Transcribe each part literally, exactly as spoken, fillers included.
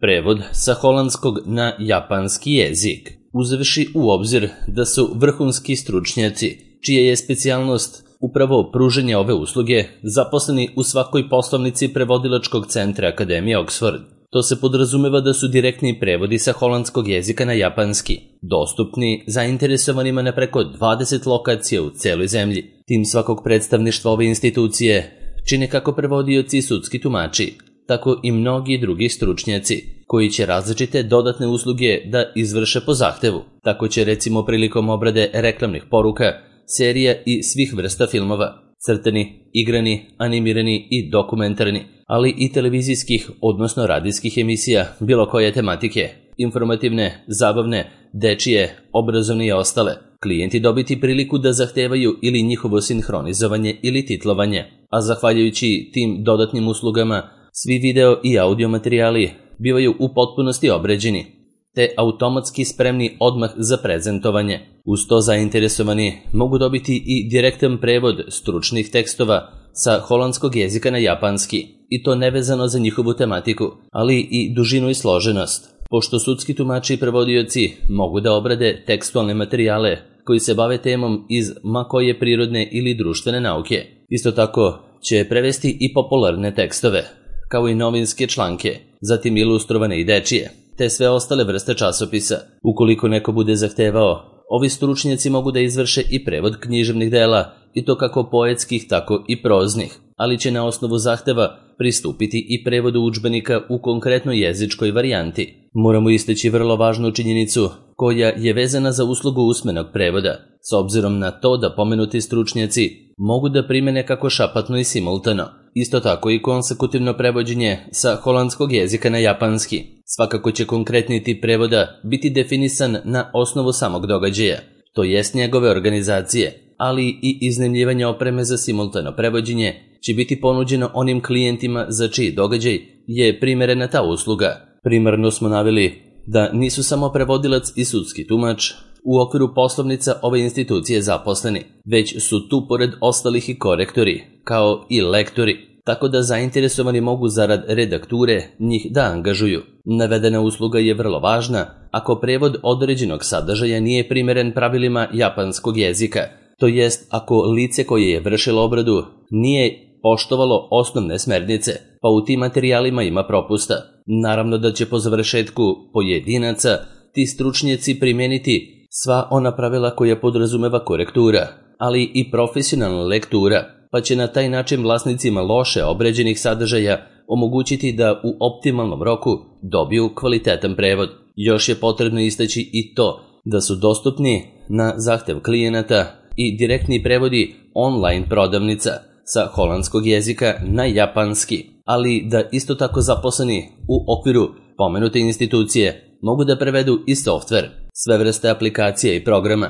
Prevod sa holandskog na japanski jezik, uzevši u obzir da su vrhunski stručnjaci, čija je specijalnost upravo pruženje ove usluge, zaposleni u svakoj poslovnici prevodilačkog centra Akademije Oxford. To se podrazumeva da su direktni prevodi sa holandskog jezika na japanski, dostupni zainteresovanima na preko dvadeset lokacija u celoj zemlji. Tim svakog predstavništva ove institucije čine kako prevodioci i sudski tumači, tako i mnogi drugi stručnjaci, koji će različite dodatne usluge da izvrše po zahtevu. Tako će recimo prilikom obrade reklamnih poruka, serija i svih vrsta filmova, crtani, igrani, animirani i dokumentarni, ali i televizijskih, odnosno radijskih emisija bilo koje tematike, informativne, zabavne, dečije, obrazovne i ostale, klijenti dobiti priliku da zahtevaju ili njihovo sinhronizovanje ili titlovanje, a zahvaljujući tim dodatnim uslugama, svi video i audio materijali bivaju u potpunosti obređeni, te automatski spremni odmah za prezentovanje. Uz to zainteresovani mogu dobiti i direktan prevod stručnih tekstova sa holandskog jezika na japanski, i to nevezano za njihovu tematiku, ali i dužinu i složenost, pošto sudski tumači i prevodioci mogu da obrade tekstualne materijale koji se bave temom iz ma koje prirodne ili društvene nauke. Isto tako će prevesti i popularne tekstove, kao i novinske članke, zatim ilustrovane i dečije, te sve ostale vrste časopisa. Ukoliko neko bude zahtevao, ovi stručnjaci mogu da izvrše i prevod književnih dela, i to kako poetskih, tako i proznih, ali će na osnovu zahteva pristupiti i prevodu udžbenika u konkretnoj jezičkoj varijanti. Moramo istaći vrlo važnu činjenicu koja je vezana za uslugu usmenog prevoda, s obzirom na to da pomenuti stručnjaci mogu da primene kako šapatno i simultano, isto tako i konsekutivno prevođenje sa holandskog jezika na japanski. Svakako će konkretni tip prevoda biti definisan na osnovu samog događaja, to jest njegove organizacije, ali i iznajmljivanje opreme za simultano prevođenje će biti ponuđeno onim klijentima za čiji događaj je primerena ta usluga. Primarno smo naveli da nisu samo prevodilac i sudski tumač u okviru poslovnica ove institucije zaposleni, već su tu pored ostalih i korektori, kao i lektori, tako da zainteresovani mogu zarad redakture njih da angažuju. Navedena usluga je vrlo važna ako prevod određenog sadržaja nije primeren pravilima japanskog jezika, to jest ako lice koje je vršilo obradu nije poštovalo osnovne smernice, pa u tim materijalima ima propusta. Naravno da će po završetku pojedinaca ti stručnjaci primeniti sva ona pravila koja podrazumeva korektura, ali i profesionalna lektura, pa će na taj način vlasnicima loše obređenih sadržaja omogućiti da u optimalnom roku dobiju kvalitetan prevod. Još je potrebno istaći i to da su dostupni na zahtev klijenata i direktni prevodi online prodavnica sa holandskog jezika na japanski, ali da isto tako zaposleni u okviru pomenute institucije mogu da prevedu i softver, sve vrste aplikacija i programa,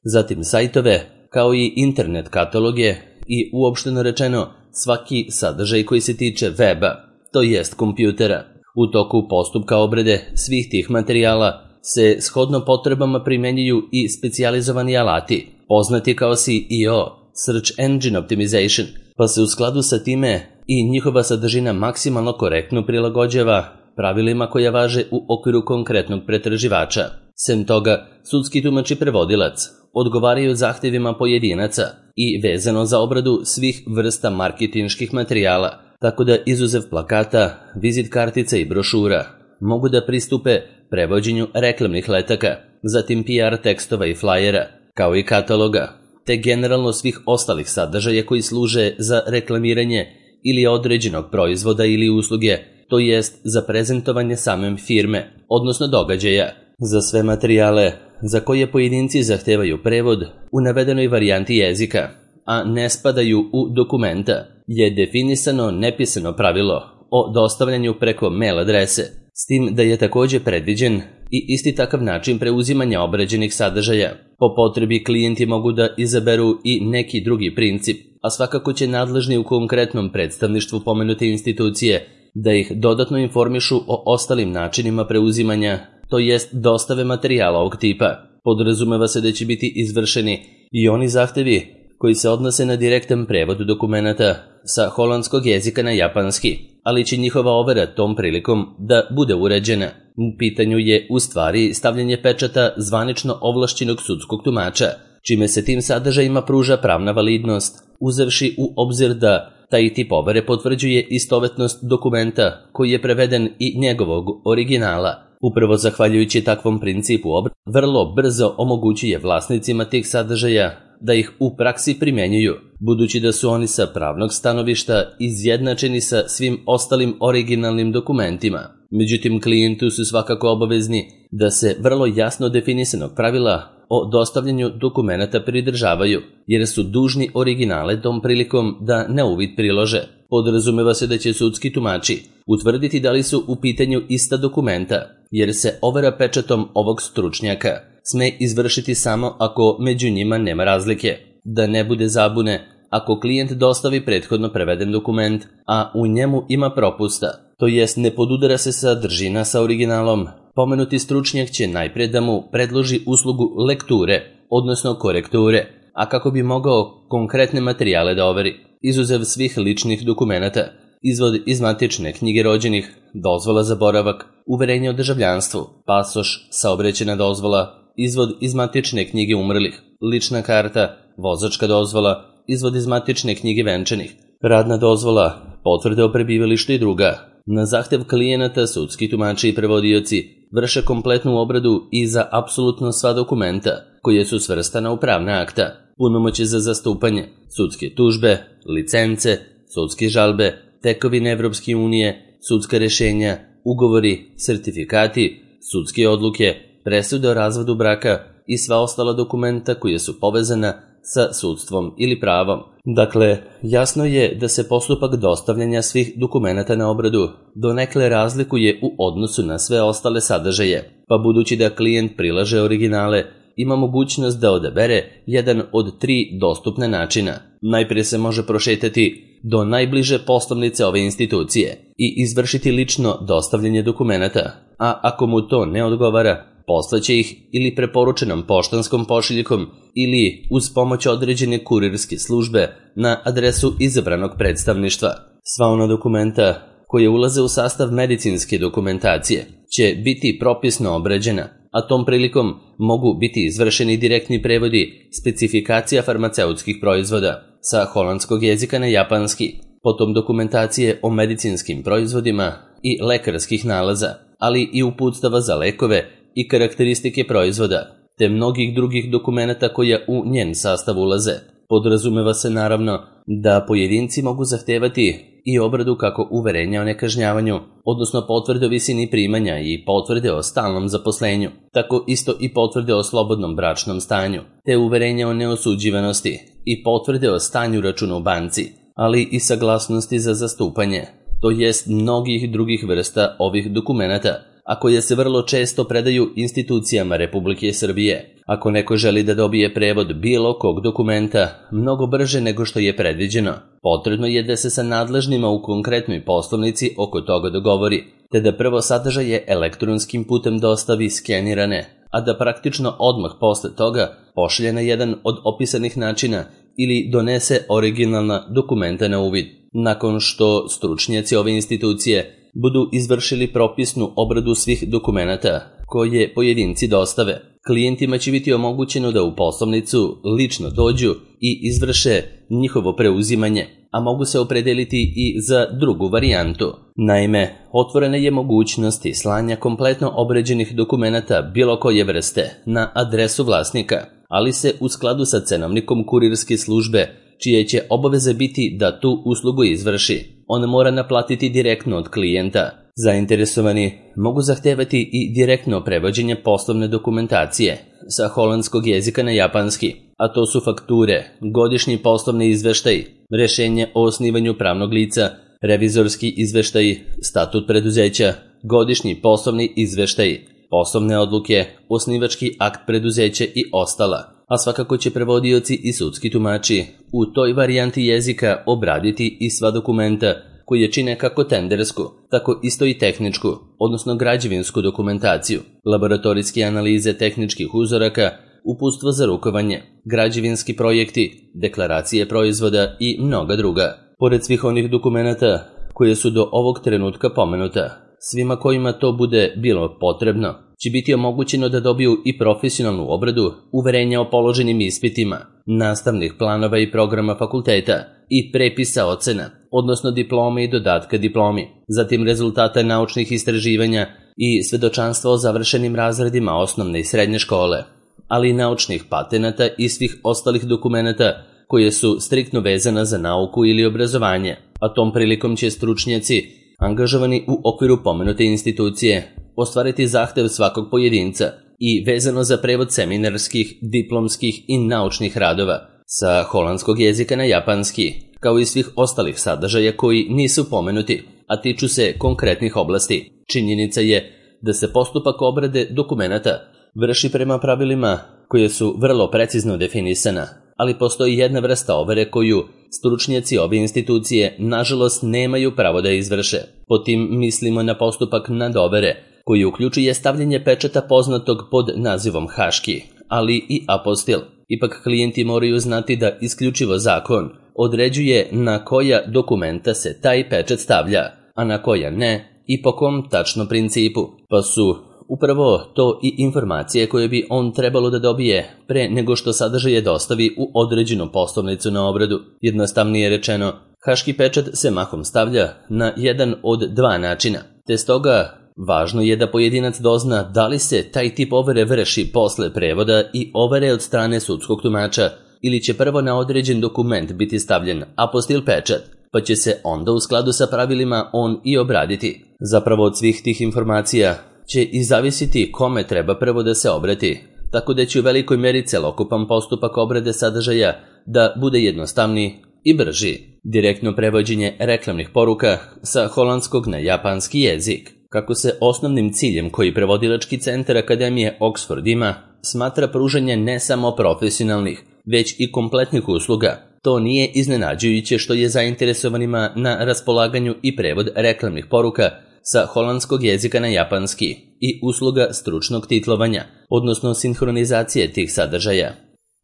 zatim sajtove, kao i internet kataloge i uopšteno rečeno svaki sadržaj koji se tiče weba, to jest kompjutera. U toku postupka obrade svih tih materijala se shodno potrebama primenjuju i specijalizovani alati, poznati kao S E O, Search Engine Optimization, pa se u skladu sa time i njihova sadržina maksimalno korektno prilagođava pravilima koja važe u okviru konkretnog pretraživača. Sem toga, sudski tumač i prevodilac odgovaraju zahtevima pojedinaca i vezano za obradu svih vrsta marketinških materijala, tako da izuzev plakata, vizit kartica i brošura mogu da pristupe prevođenju reklamnih letaka, zatim P R tekstova i flajera, kao i kataloga, te generalno svih ostalih sadržaja koji služe za reklamiranje ili određenog proizvoda ili usluge, to jest za prezentovanje same firme, odnosno događaja. Za sve materijale za koje pojedinci zahtevaju prevod u navedenoj varijanti jezika, a ne spadaju u dokumenta, je definisano nepisano pravilo o dostavljanju preko mail adrese, s tim da je također predviđen i isti takav način preuzimanja obrađenih sadržaja. Po potrebi klijenti mogu da izaberu i neki drugi princip, a svakako će nadležni u konkretnom predstavništvu pomenute institucije da ih dodatno informišu o ostalim načinima preuzimanja, to jest dostave materijala ovog tipa. Podrazumeva se da će biti izvršeni i oni zahtevi koji se odnose na direktan prevod dokumenata sa holandskog jezika na japanski, ali će njihova overa tom prilikom da bude uređena. U pitanju je u stvari stavljanje pečata zvanično ovlašćenog sudskog tumača, čime se tim sadržajima pruža pravna validnost, uzevši u obzir da taj tip overe potvrđuje istovetnost dokumenta koji je preveden i njegovog originala. Upravo zahvaljujući takvom principu obrade, vrlo brzo omogućuje vlasnicima tih sadržaja da ih u praksi primjenjuju, budući da su oni sa pravnog stanovišta izjednačeni sa svim ostalim originalnim dokumentima. Međutim, klijentu su svakako obavezni da se vrlo jasno definisanog pravila o dostavljanju dokumenata pridržavaju, jer su dužni originale tom prilikom da na uvid prilože. Podrazumeva se da će sudski tumači utvrditi da li su u pitanju ista dokumenta, jer se overa pečatom ovog stručnjaka sme izvršiti samo ako među njima nema razlike. Da ne bude zabune, ako klijent dostavi prethodno preveden dokument, a u njemu ima propusta, to jest ne podudara se sadržina sa originalom, pomenuti stručnjak će najpre da mu predloži uslugu lekture, odnosno korekture, a kako bi mogao konkretne materijale da overi, izuzev svih ličnih dokumenata, izvod iz matične knjige rođenih, dozvola za boravak, uverenje o državljanstvu, pasoš, saobraćajna dozvola, izvod iz matične knjige umrlih, lična karta, vozačka dozvola, izvod iz matične knjige venčanih, radna dozvola, potvrde o prebivalištu i druga. Na zahtev klijenata sudski tumači i prevodioci vrše kompletnu obradu i za apsolutno sva dokumenta koje su svrstana u pravna akta, punomoćje za zastupanje, sudske tužbe, licence, sudske žalbe, tekovine Evropske unije, sudska rešenja, ugovori, sertifikati, sudske odluke, presude o razvodu braka i sva ostala dokumenta koja su povezana sa sudstvom ili pravom. Dakle, jasno je da se postupak dostavljanja svih dokumenata na obradu donekle razlikuje u odnosu na sve ostale sadržaje, pa budući da klijent prilaže originale, ima mogućnost da odabere jedan od tri dostupne načina. Najprije se može prošetati do najbliže poslovnice ove institucije i izvršiti lično dostavljanje dokumenata, a ako mu to ne odgovara, poslaće ih ili preporučenom poštanskom pošiljkom ili uz pomoć određene kurirske službe na adresu izabranog predstavništva. Sva ona dokumenta koje ulaze u sastav medicinske dokumentacije će biti propisno obrađena, a tom prilikom mogu biti izvršeni direktni prevodi specifikacija farmaceutskih proizvoda sa holandskog jezika na japanski, potom dokumentacije o medicinskim proizvodima i lekarskih nalaza, ali i uputstava za lekove i karakteristike proizvoda, te mnogih drugih dokumenata koja u njen sastav ulaze. Podrazumeva se naravno da pojedinci mogu zahtevati i obradu kako uverenja o nekažnjavanju, odnosno potvrde o visini primanja i potvrde o stalnom zaposlenju, tako isto i potvrde o slobodnom bračnom stanju, te uverenja o neosuđivanosti i potvrde o stanju računa u banci, ali i saglasnosti za zastupanje, to jest mnogih drugih vrsta ovih dokumenata, a koje se vrlo često predaju institucijama Republike Srbije. Ako neko želi da dobije prevod bilo kog dokumenta mnogo brže nego što je predviđeno, potrebno je da se sa nadležnima u konkretnoj poslovnici oko toga dogovori, te da prvo sadržaje elektronskim putem dostavi skenirane, a da praktično odmah posle toga pošalje na jedan od opisanih načina ili donese originalna dokumenta na uvid. Nakon što stručnjaci ove institucije budu izvršili propisnu obradu svih dokumenata koje pojedinci dostave, klijentima će biti omogućeno da u poslovnicu lično dođu i izvrše njihovo preuzimanje, a mogu se opredeliti i za drugu varijantu. Naime, otvorena je mogućnost slanja kompletno obrađenih dokumenata bilo koje vrste na adresu vlasnika, ali se u skladu sa cenovnikom kurirske službe, čije će obaveze biti da tu uslugu izvrši, on mora naplatiti direktno od klijenta. Zainteresovani mogu zahtevati i direktno prevođenje poslovne dokumentacije sa holandskog jezika na japanski, a to su fakture, godišnji poslovni izveštaj, rešenje o osnivanju pravnog lica, revizorski izveštaj, statut preduzeća, godišnji poslovni izveštaj, poslovne odluke, osnivački akt preduzeća i ostala. A svakako će prevodioci i sudski tumači u toj varijanti jezika obraditi i sva dokumenta koje čine kako tendersku, tako isto i tehničku, odnosno građevinsku dokumentaciju, laboratorijske analize tehničkih uzoraka, uputstvo za rukovanje, građevinski projekti, deklaracije proizvoda i mnoga druga. Pored svih onih dokumenata koje su do ovog trenutka pomenuta. Svima kojima to bude bilo potrebno će biti omogućeno da dobiju i profesionalnu obradu, uverenja o položenim ispitima, nastavnih planova i programa fakulteta i prepisa ocena, odnosno diplome i dodatka diplomi, zatim rezultata naučnih istraživanja i svedočanstva o završenim razredima osnovne i srednje škole, ali i naučnih patenata i svih ostalih dokumenata koje su striktno vezana za nauku ili obrazovanje, a tom prilikom će stručnjaci angažovani u okviru pomenute institucije ostvariti zahtev svakog pojedinca i vezano za prevod seminarskih, diplomskih i naučnih radova sa holandskog jezika na japanski, kao i svih ostalih sadržaja koji nisu pomenuti, a tiču se konkretnih oblasti. Činjenica je da se postupak obrade dokumenata vrši prema pravilima koje su vrlo precizno definisana, ali postoji jedna vrsta overe koju stručnjaci ove institucije nažalost nemaju pravo da izvrše. Po tim mislimo na postupak nadovere, koji uključuje stavljanje pečata poznatog pod nazivom haški, ali i apostil. Ipak klijenti moraju znati da isključivo zakon određuje na koja dokumenta se taj pečat stavlja, a na koja ne i po kom tačno principu, pa su upravo to i informacije koje bi on trebalo da dobije pre nego što sadržaje dostavi u određenu poslovnicu na obradu. Jednostavnije rečeno, haški pečat se mahom stavlja na jedan od dva načina, te stoga važno je da pojedinac dozna da li se taj tip overe vrši posle prevoda i overe od strane sudskog tumača ili će prvo na određen dokument biti stavljen apostil pečat, pa će se onda u skladu sa pravilima on i obraditi. Zapravo od svih tih informacija će i zavisiti kome treba prvo da se obrati, tako da će u velikoj meri celokupan postupak obrade sadržaja da bude jednostavniji i brži. Direktno prevođenje reklamnih poruka sa holandskog na japanski jezik. Kako se osnovnim ciljem koji prevodilački centar Akademije Oxford ima, smatra pružanje ne samo profesionalnih, već i kompletnih usluga. To nije iznenađujuće što je zainteresovanima na raspolaganju i prevod reklamnih poruka sa holandskog jezika na japanski i usluga stručnog titlovanja, odnosno sinhronizacije tih sadržaja.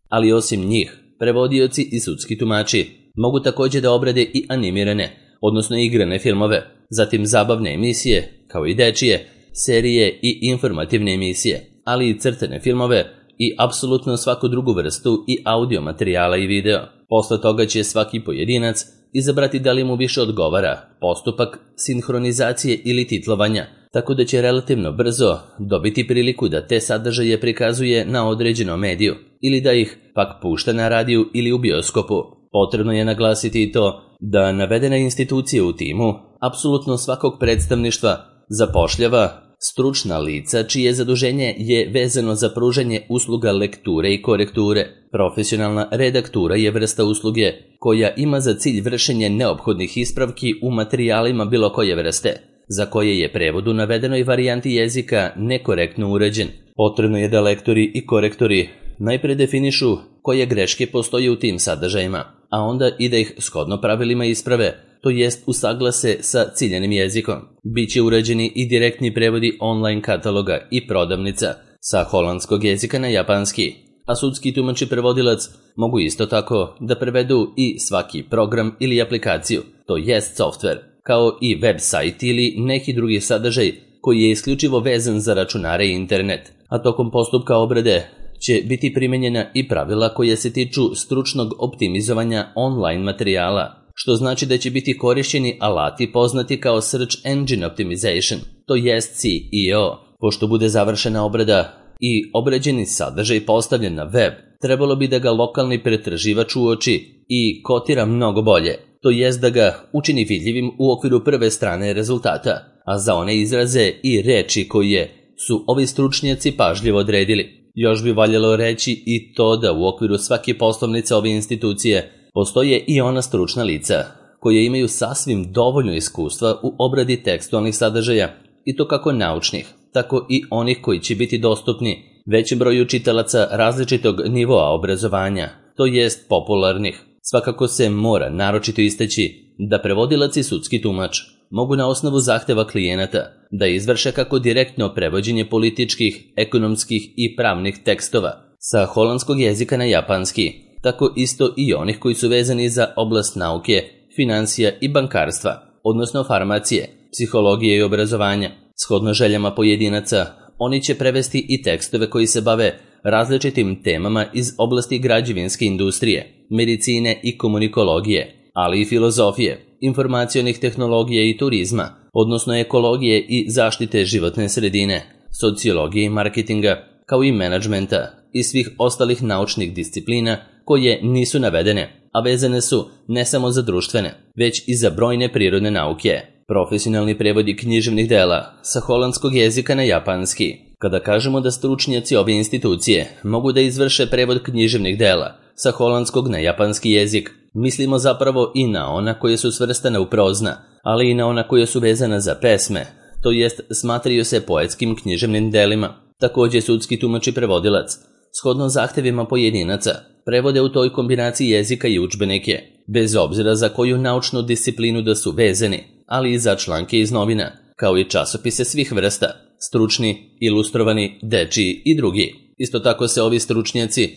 Ali osim njih, prevodioci i sudski tumači mogu također da obrade i animirane, odnosno igrane filmove, zatim zabavne emisije, kao i dečije, serije i informativne emisije, ali i crtene filmove i apsolutno svaku drugu vrstu i audio materijala i video. Posle toga će svaki pojedinac izabrati da li mu više odgovara postupak sinhronizacije ili titlovanja, tako da će relativno brzo dobiti priliku da te sadržaje prikazuje na određenom mediju ili da ih pak pušta na radiju ili u bioskopu. Potrebno je naglasiti i to da navedena institucija u timu apsolutno svakog predstavništva zapošljava stručna lica čije zaduženje je vezano za pružanje usluga lekture i korekture. Profesionalna redaktura je vrsta usluge koja ima za cilj vršenje neophodnih ispravki u materijalima bilo koje vrste, za koje je prevod u navedenoj varijanti jezika nekorektno uređen. Potrebno je da lektori i korektori najpre definišu koje greške postoje u tim sadržajima, a onda i da ih shodno pravilima isprave, to jest usaglase sa ciljanim jezikom. Biće urađeni i direktni prevodi online kataloga i prodavnica sa holandskog jezika na japanski, a sudski tumač i prevodilac mogu isto tako da prevedu i svaki program ili aplikaciju, to jest softver, kao i web sajt ili neki drugi sadržaj koji je isključivo vezan za računare i internet, a tokom postupka obrade će biti primenjena i pravila koja se tiču stručnog optimizovanja online materijala, što znači da će biti korišćeni alati poznati kao Search Engine Optimization, to jest S E O. Pošto bude završena obrada i obrađeni sadržaj postavljen na web, trebalo bi da ga lokalni pretraživač uoči i kotira mnogo bolje, to jest da ga učini vidljivim u okviru prve strane rezultata, a za one izraze i reči koje su ovi stručnjaci pažljivo odredili. Još bi valjalo reći i to da u okviru svake poslovnice ove institucije postoje i ona stručna lica koje imaju sasvim dovoljno iskustva u obradi tekstualnih sadržaja, i to kako naučnih, tako i onih koji će biti dostupni većem broju čitalaca različitog nivoa obrazovanja, to jest popularnih. Svakako se mora naročito istaći da prevodilac i sudski tumač mogu na osnovu zahteva klijenata da izvrše kako direktno prevođenje političkih, ekonomskih i pravnih tekstova sa holandskog jezika na japanski, tako isto i onih koji su vezani za oblast nauke, financija i bankarstva, odnosno farmacije, psihologije i obrazovanja. Shodno željama pojedinaca, oni će prevesti i tekstove koji se bave različitim temama iz oblasti građevinske industrije, medicine i komunikologije, ali i filozofije, informacionih tehnologija i turizma, odnosno ekologije i zaštite životne sredine, sociologije i marketinga, kao i menadžmenta i svih ostalih naučnih disciplina koje nisu navedene, a vezane su ne samo za društvene, već i za brojne prirodne nauke. Profesionalni prevodi književnih dela sa holandskog jezika na japanski. Kada kažemo da stručnjaci ove institucije mogu da izvrše prevod književnih dela sa holandskog na japanski jezik, mislimo zapravo i na ona koje su svrstane u prozna, ali i na ona koje su vezana za pesme, to jest smatraju se poetskim književnim delima. Također sudski tumač i prevodilac, shodno zahtevima pojedinaca, prevode u toj kombinaciji jezika i udžbenike, bez obzira za koju naučnu disciplinu da su vezani, ali i za članke iz novina, kao i časopise svih vrsta, stručni, ilustrovani, dečiji i drugi. Isto tako se ovi stručnjaci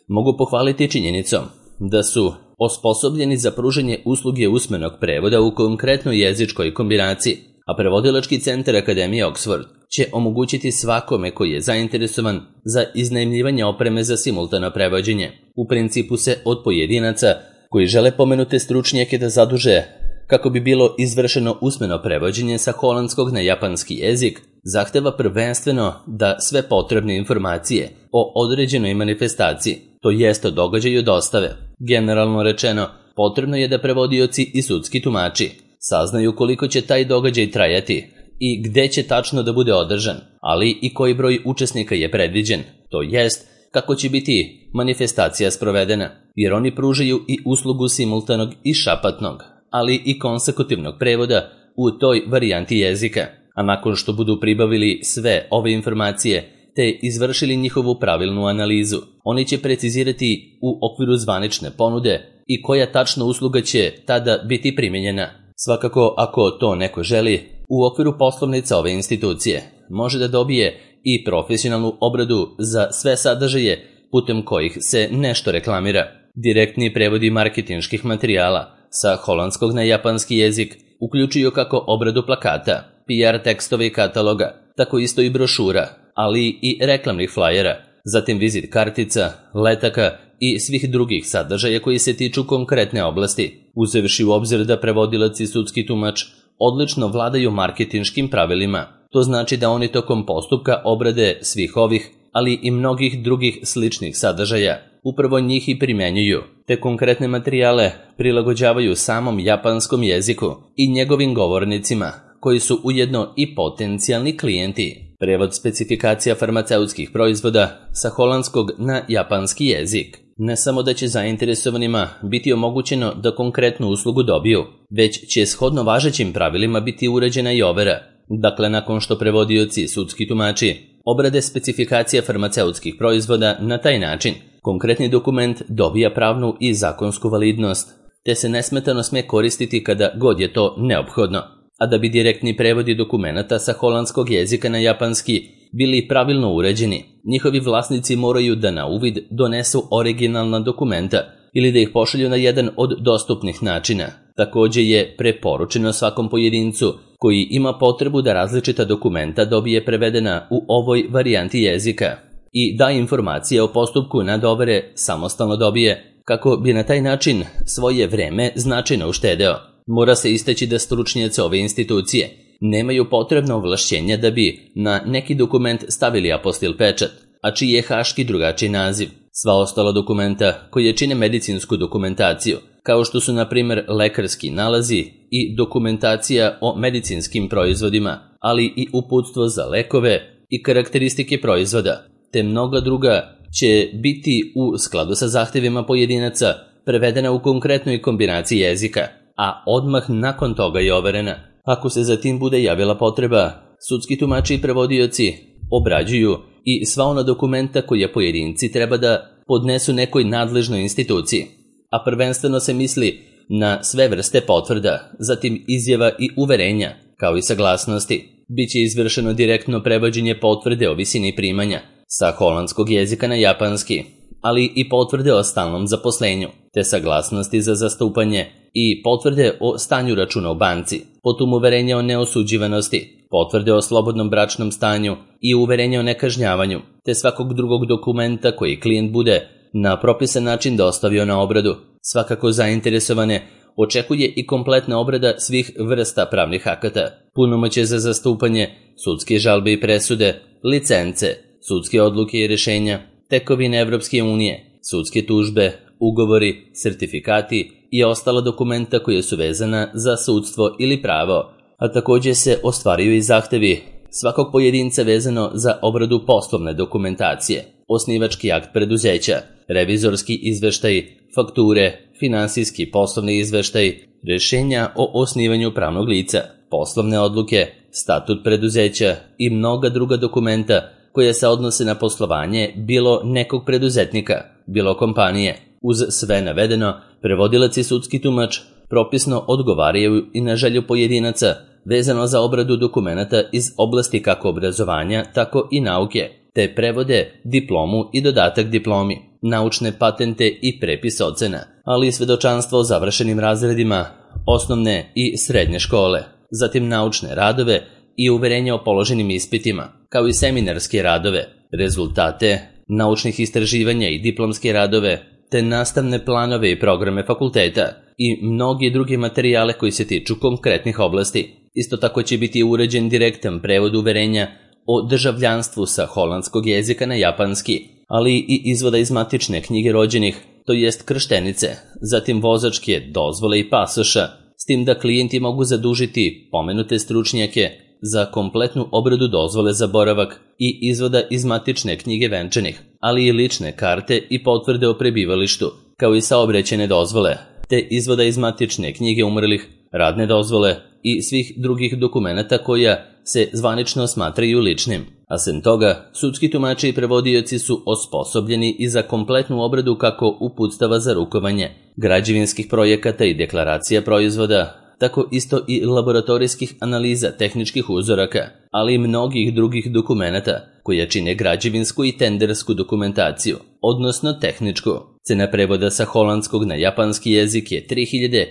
mogu pohvaliti činjenicom da su osposobljeni za pružanje usluge usmenog prevoda u konkretnoj jezičkoj kombinaciji, a prevodilački centar Akademije Oxford će omogućiti svakome koji je zainteresovan za iznajmljivanje opreme za simultano prevođenje. U principu se od pojedinaca koji žele pomenute stručnjake da zaduže kako bi bilo izvršeno usmeno prevođenje sa holandskog na japanski jezik, zahteva prvenstveno da sve potrebne informacije o određenoj manifestaciji, to jest o događaju dostave. Generalno rečeno, potrebno je da prevodioci i sudski tumači saznaju koliko će taj događaj trajati i gde će tačno da bude održan, ali i koji broj učesnika je predviđen, to jest kako će biti manifestacija sprovedena, jer oni pružaju i uslugu simultanog i šapatnog, ali i konsekutivnog prevoda u toj varijanti jezika, a nakon što budu pribavili sve ove informacije te izvršili njihovu pravilnu analizu, oni će precizirati u okviru zvanične ponude i koja tačna usluga će tada biti primijenjena. Svakako, ako to neko želi, u okviru poslovnica ove institucije može da dobije i profesionalnu obradu za sve sadržaje putem kojih se nešto reklamira. Direktni prevodi marketinških materijala sa holandskog na japanski jezik uključuju kako obradu plakata, P R tekstove i kataloga, tako isto i brošura, ali i reklamnih flajera, zatim vizit kartica, letaka i svih drugih sadržaja koji se tiču konkretne oblasti, uzevši u obzir da prevodilac i sudski tumač odlično vladaju marketinškim pravilima. To znači da oni tokom postupka obrade svih ovih, ali i mnogih drugih sličnih sadržaja, upravo njih i primjenjuju, te konkretne materijale prilagođavaju samom japanskom jeziku i njegovim govornicima, koji su ujedno i potencijalni klijenti. Prevod specifikacija farmaceutskih proizvoda sa holandskog na japanski jezik. Ne samo da će zainteresovanima biti omogućeno da konkretnu uslugu dobiju, već će shodno važećim pravilima biti uređena i overa. Dakle, nakon što prevodioci i sudski tumači obrade specifikacija farmaceutskih proizvoda na taj način, konkretni dokument dobija pravnu i zakonsku validnost, te se nesmetano sme koristiti kada god je to neophodno. A da bi direktni prevodi dokumenata sa holandskog jezika na japanski bili pravilno uređeni, njihovi vlasnici moraju da na uvid donesu originalna dokumenta ili da ih pošalju na jedan od dostupnih načina. Također je preporučeno svakom pojedincu koji ima potrebu da različita dokumenta dobije prevedena u ovoj varijanti jezika i da informacije o postupku nadovere samostalno dobije, kako bi na taj način svoje vreme značajno uštedeo. Mora se istaći da stručnjaci ove institucije nemaju potrebno ovlašćenja da bi na neki dokument stavili apostil pečat, a čiji je haški drugačiji naziv. Sva ostala dokumenta koje čine medicinsku dokumentaciju, kao što su na primjer lekarski nalazi i dokumentacija o medicinskim proizvodima, ali i uputstvo za lekove i karakteristike proizvoda, te mnoga druga će biti u skladu sa zahtjevima pojedinaca prevedena u konkretnoj kombinaciji jezika, a odmah nakon toga je overena. Ako se zatim bude javila potreba, sudski tumači i prevodioci obrađuju i sva ona dokumenta koje pojedinci treba da podnesu nekoj nadležnoj instituciji, a prvenstveno se misli na sve vrste potvrda, zatim izjava i uverenja, kao i saglasnosti. Biće izvršeno direktno prevođenje potvrde o visini primanja sa holandskog jezika na japanski, ali i potvrde o stalnom zaposlenju, te saglasnosti za zastupanje i potvrde o stanju računa u banci, potom uverenje o neosuđivanosti, potvrde o slobodnom bračnom stanju i uverenje o nekažnjavanju, te svakog drugog dokumenta koji klijent bude na propisan način dostavio na obradu. Svakako zainteresovane očekuje i kompletna obrada svih vrsta pravnih akata, punomoćje za zastupanje, sudske žalbe i presude, licence, sudske odluke i rješenja, tekovine Evropske unije, sudske tužbe, ugovori, sertifikati i ostala dokumenta koja su vezana za sudstvo ili pravo, a također se ostvaruju i zahtevi svakog pojedinca vezano za obradu poslovne dokumentacije, osnivački akt preduzeća, revizorski izveštaj, fakture, finansijski poslovni izveštaj, rješenja o osnivanju pravnog lica, poslovne odluke, statut preduzeća i mnoga druga dokumenta koja se odnose na poslovanje bilo nekog preduzetnika, bilo kompanije. Uz sve navedeno, prevodilac i sudski tumač propisno odgovaraju i na želju pojedinaca vezano za obradu dokumenata iz oblasti kako obrazovanja, tako i nauke, te prevode diplomu i dodatak diplomi, naučne patente i prepis ocena, ali i svedočanstvo o završenim razredima osnovne i srednje škole, zatim naučne radove i uverenje o položenim ispitima, kao i seminarske radove, rezultate naučnih istraživanja i diplomske radove, te nastavne planove i programe fakulteta i mnogi drugi materijale koji se tiču konkretnih oblasti. Isto tako će biti uređen direktan prevod uverenja o državljanstvu sa holandskog jezika na japanski, ali i izvoda iz matične knjige rođenih, to jest krštenice, zatim vozačke dozvole i pasoša, s tim da klijenti mogu zadužiti pomenute stručnjake za kompletnu obradu dozvole za boravak i izvoda iz matične knjige venčanih, ali i lične karte i potvrde o prebivalištu, kao i saobraćajne dozvole, te izvoda iz matične knjige umrlih, radne dozvole i svih drugih dokumenata koja se zvanično smatraju ličnim. A sem toga, sudski tumači i prevodioci su osposobljeni i za kompletnu obradu kako uputstava za rukovanje, građevinskih projekata i deklaracija proizvoda, tako isto i laboratorijskih analiza tehničkih uzoraka, ali i mnogih drugih dokumenata koja čine građevinsku i tendersku dokumentaciju, odnosno tehničku. Cena prevoda sa holandskog na japanski jezik je tri hiljade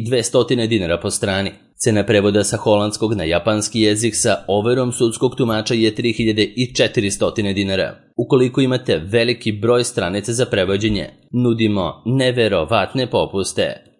dvesta dinara po strani. Cena prevoda sa holandskog na japanski jezik sa overom sudskog tumača je tri hiljade četiristo dinara. Ukoliko imate veliki broj stranica za prevođenje, nudimo neverovatne popuste.